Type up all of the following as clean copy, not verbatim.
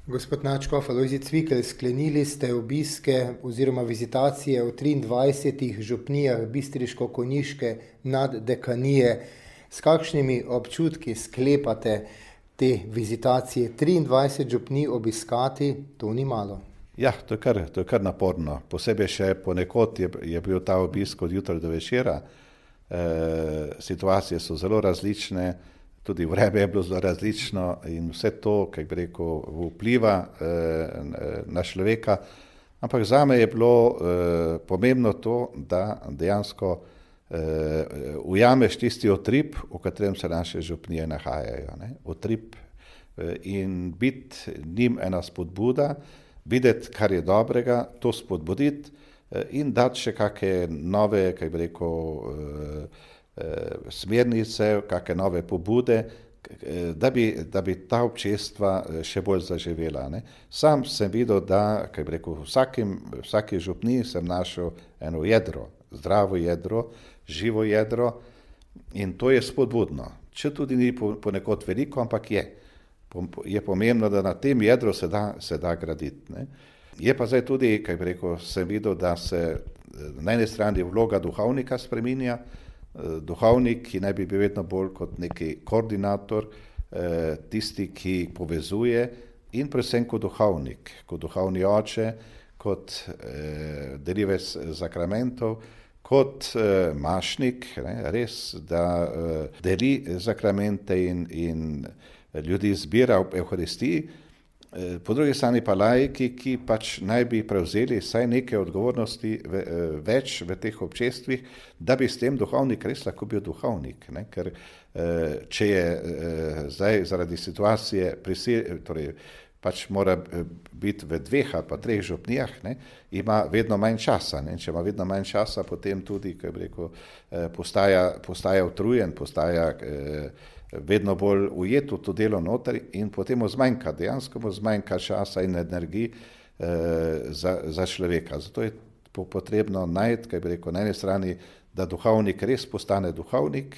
Gospod Načkov, Alojzij Cvikl, sklenili ste obiske oziroma vizitacije v 23 župnijah bistriško-konjiške naddekanije. S kakšnimi občutki sklepate te vizitacije? 23 župnij obiskati, to ni malo. Ja, to je kar naporno. Posebej še ponekod je bil ta obisk od jutra do večera. Situacije so zelo različne, tudi vreme je bilo zelo različno in vse to, kako bi rekel, vpliva na človeka. Ampak zame je bilo pomembno to, da dejansko ujameš tisti utrip, v katerem se naše župnije nahajajo. Utrip in biti njim ena spodbuda, videti, kar je dobrega, to spodbuditi in dati še kakšne nove, kako bi rekel, smernice, kakšne nove pobude, da bi ta občestva še bolj zaživela. Sam sem videl, da, kako bi rekel, vsaki župniji sem našel eno jedro, zdravo jedro, živo jedro in to je spodbudno. Če tudi ni ponekod veliko, ampak je pomembno, da na tem jedru se da graditi. Je pa zdaj tudi, kako bi rekel, sem videl, da se na eni strani vloga duhovnika spreminja, duhovnik, ki naj bi bil vedno bolj kot neki koordinator, tisti, ki povezuje in predvsem kot duhovnik, kot duhovni oče, kot delivec sakramentov, kot mašnik, res, da deli sakramente in ljudi zbira v Evharistiji. Po drugi strani pa laiki, ki pač naj bi prevzeli vsaj neke odgovornosti več v teh občestvih, da bi s tem duhovnik res lahko bil duhovnik. Ker če je zdaj zaradi situacije torej pač mora biti v 2 ali pa 3 župnijah, ima vedno manj časa. Če ima vedno manj časa, potem tudi, kako bi rekel, postaja utrujen, postaja vedno bolj ujet v to delo noter in potem mu zmanjka časa in energiji za človeka. Zato je potrebno najti, kako bi rekel, na eni strani, da duhovnik res postane duhovnik,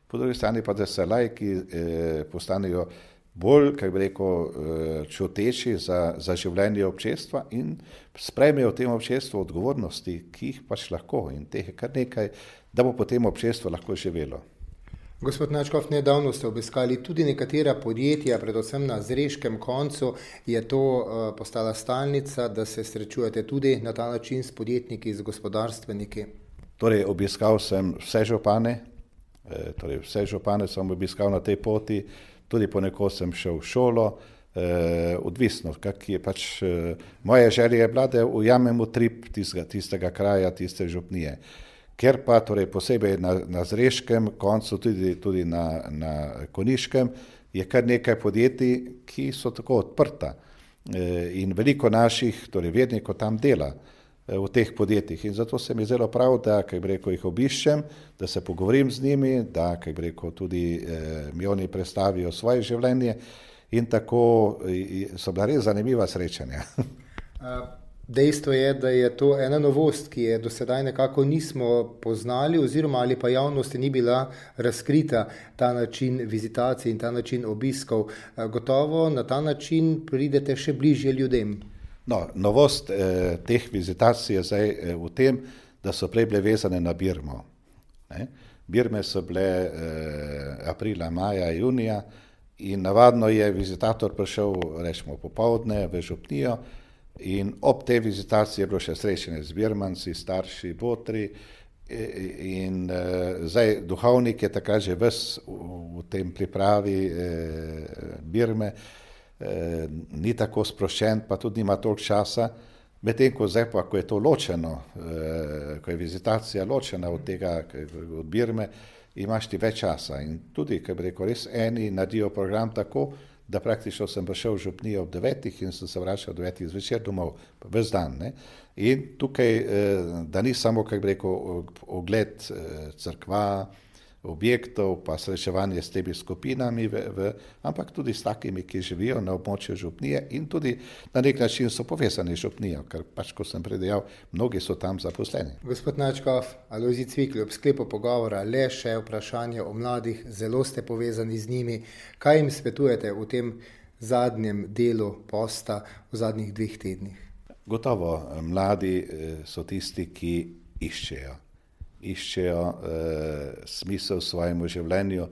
po drugi strani pa, da se laiki postanejo bolj, kako bi rekel, čuteči za življenje občestva in sprejmejo v tem občestvu odgovornosti, ki jih pač lahko in teh je kar nekaj, da bo potem občestvo lahko živelo. Gospod Načkov, nedavno ste obiskali tudi nekatera podjetja, predvsem na Zreškem koncu. Je to postala stalnica, da se srečujete tudi na ta način s podjetniki, z gospodarstveniki? Torej, obiskal sem vse župane sem obiskal na tej poti, tudi ponekod sem šel v šolo, odvisno, kak je pač moja želja je bila, da ujamem utrip tistega kraja, tiste župnije. Ker pa torej posebej na Zreškem koncu, tudi na Konjiškem, je kar nekaj podjetij, ki so tako odprta in veliko naših torej vernikov tam dela v teh podjetjih in zato se mi zelo prav, da, kako bi rekel, jih obiščem, da se pogovorim z njimi, da, kako bi rekel, tudi mi oni predstavijo svoje življenje in tako so bila res zanimiva srečanja. Dejstvo je, da je to ena novost, ki je do sedaj nekako nismo poznali oziroma ali pa javnosti ni bila razkrita, ta način vizitacij in ta način obiskov. Gotovo na ta način pridete še bližje ljudem. No, novost teh vizitacij je zdaj v tem, da so prej bile vezane na Birmo. Birme so bile aprila, maja, junija in navadno je vizitator prišel, rečemo, popoldne v župnijo, in ob tej vizitaciji je bilo še srečanje z birmanci, starši, botri in zdaj duhovnik je takrat že ves v tem pripravi Birme, ni tako sproščen, pa tudi nima toliko časa, medtem ko zdaj pa, ko je to ločeno, ko je vizitacija ločena od tega, od Birme, imaš ti več časa in tudi, kako bi rekel, res eni naredijo program tako, da praktično sem prišel v župnijo ob 9 in sem se vračal ob 9 zvečer domov, ves dan. In tukaj, da ni samo, kako bi rekel, ogled cerkva, objektov, pa srečevanje s temi skupinami, ampak tudi s takimi, ki živijo na območju župnije in tudi na nek način so povezani z župnijo, ker pač, ko sem predejal, mnogi so tam zaposleni. Gospod Načkov, Alojzij Cvikl, ob sklepu pogovora le še vprašanje o mladih, zelo ste povezani z njimi. Kaj jim svetujete v tem zadnjem delu posta v zadnjih 2 tednih? Gotovo mladi so tisti, ki iščejo smisel svojemu življenju.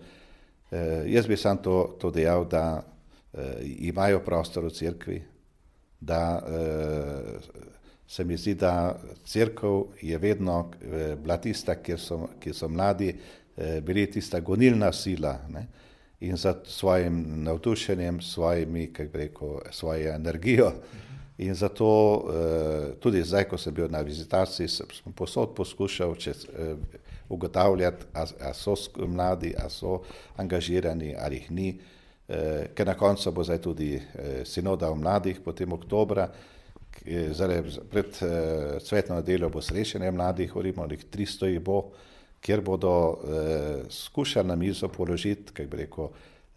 Jaz bi sam to dejal, da imajo prostor v cerkvi, da se mi zdi, da cerkev je vedno bila tista, kjer so mladi bili tista gonilna sila, ne? In za svojim navdušenjem, svojo energijo. In zato tudi zdaj, ko sem bil na vizitaciji, sem posod poskušal ugotavljati, a so mladi, a so angažirani, ali jih ni, ker na koncu bo zdaj tudi sinoda o mladih, potem oktobra, pred cvetno nedeljo bo srečanje mladih, govorimo, 300 jih bo, kjer bodo skušali na mizo položiti,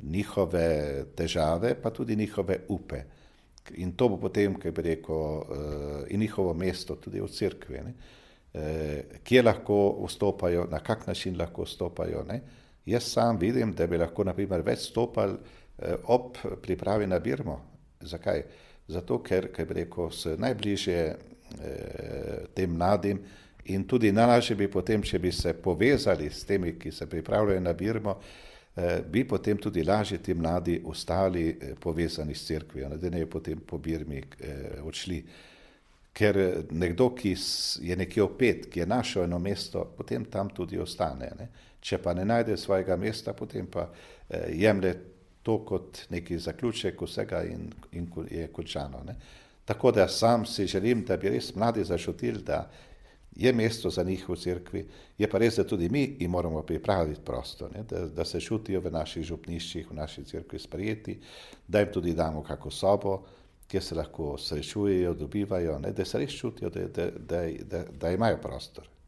njihove težave, pa tudi njihove upe. In to bo potem, in njihovo mesto tudi v cerkvi, ne? Kje lahko vstopajo, na kak način lahko vstopajo, ne? Jaz sam vidim, da bi lahko naprimer več vstopali ob pripravi na birmo. Zakaj? Zato, ker so najbližje tem mladim in tudi najlažje bi potem, če bi se povezali s temi, ki se pripravljajo na birmo, bi potem tudi lažje ti mladi ostali povezani s cerkvijo, da ne potem po birmi odšli. Ker nekdo, ki je nekje opet, ki je našel eno mesto, potem tam tudi ostane, ne? Če pa ne najde svojega mesta, potem pa jemlje to kot neki zaključek vsega in je končano, ne? Tako da sam si želim, da bi res mladi začutili, da je mesto za njih v cerkvi, je pa res, da tudi mi jim moramo pripraviti prostor, ne? Da se čutijo v naših župniščih, v naši cerkvi sprejeti, da jim tudi damo kako sobo, kjer se lahko srečujejo, dobivajo, ne? Da se res čutijo, da imajo prostor.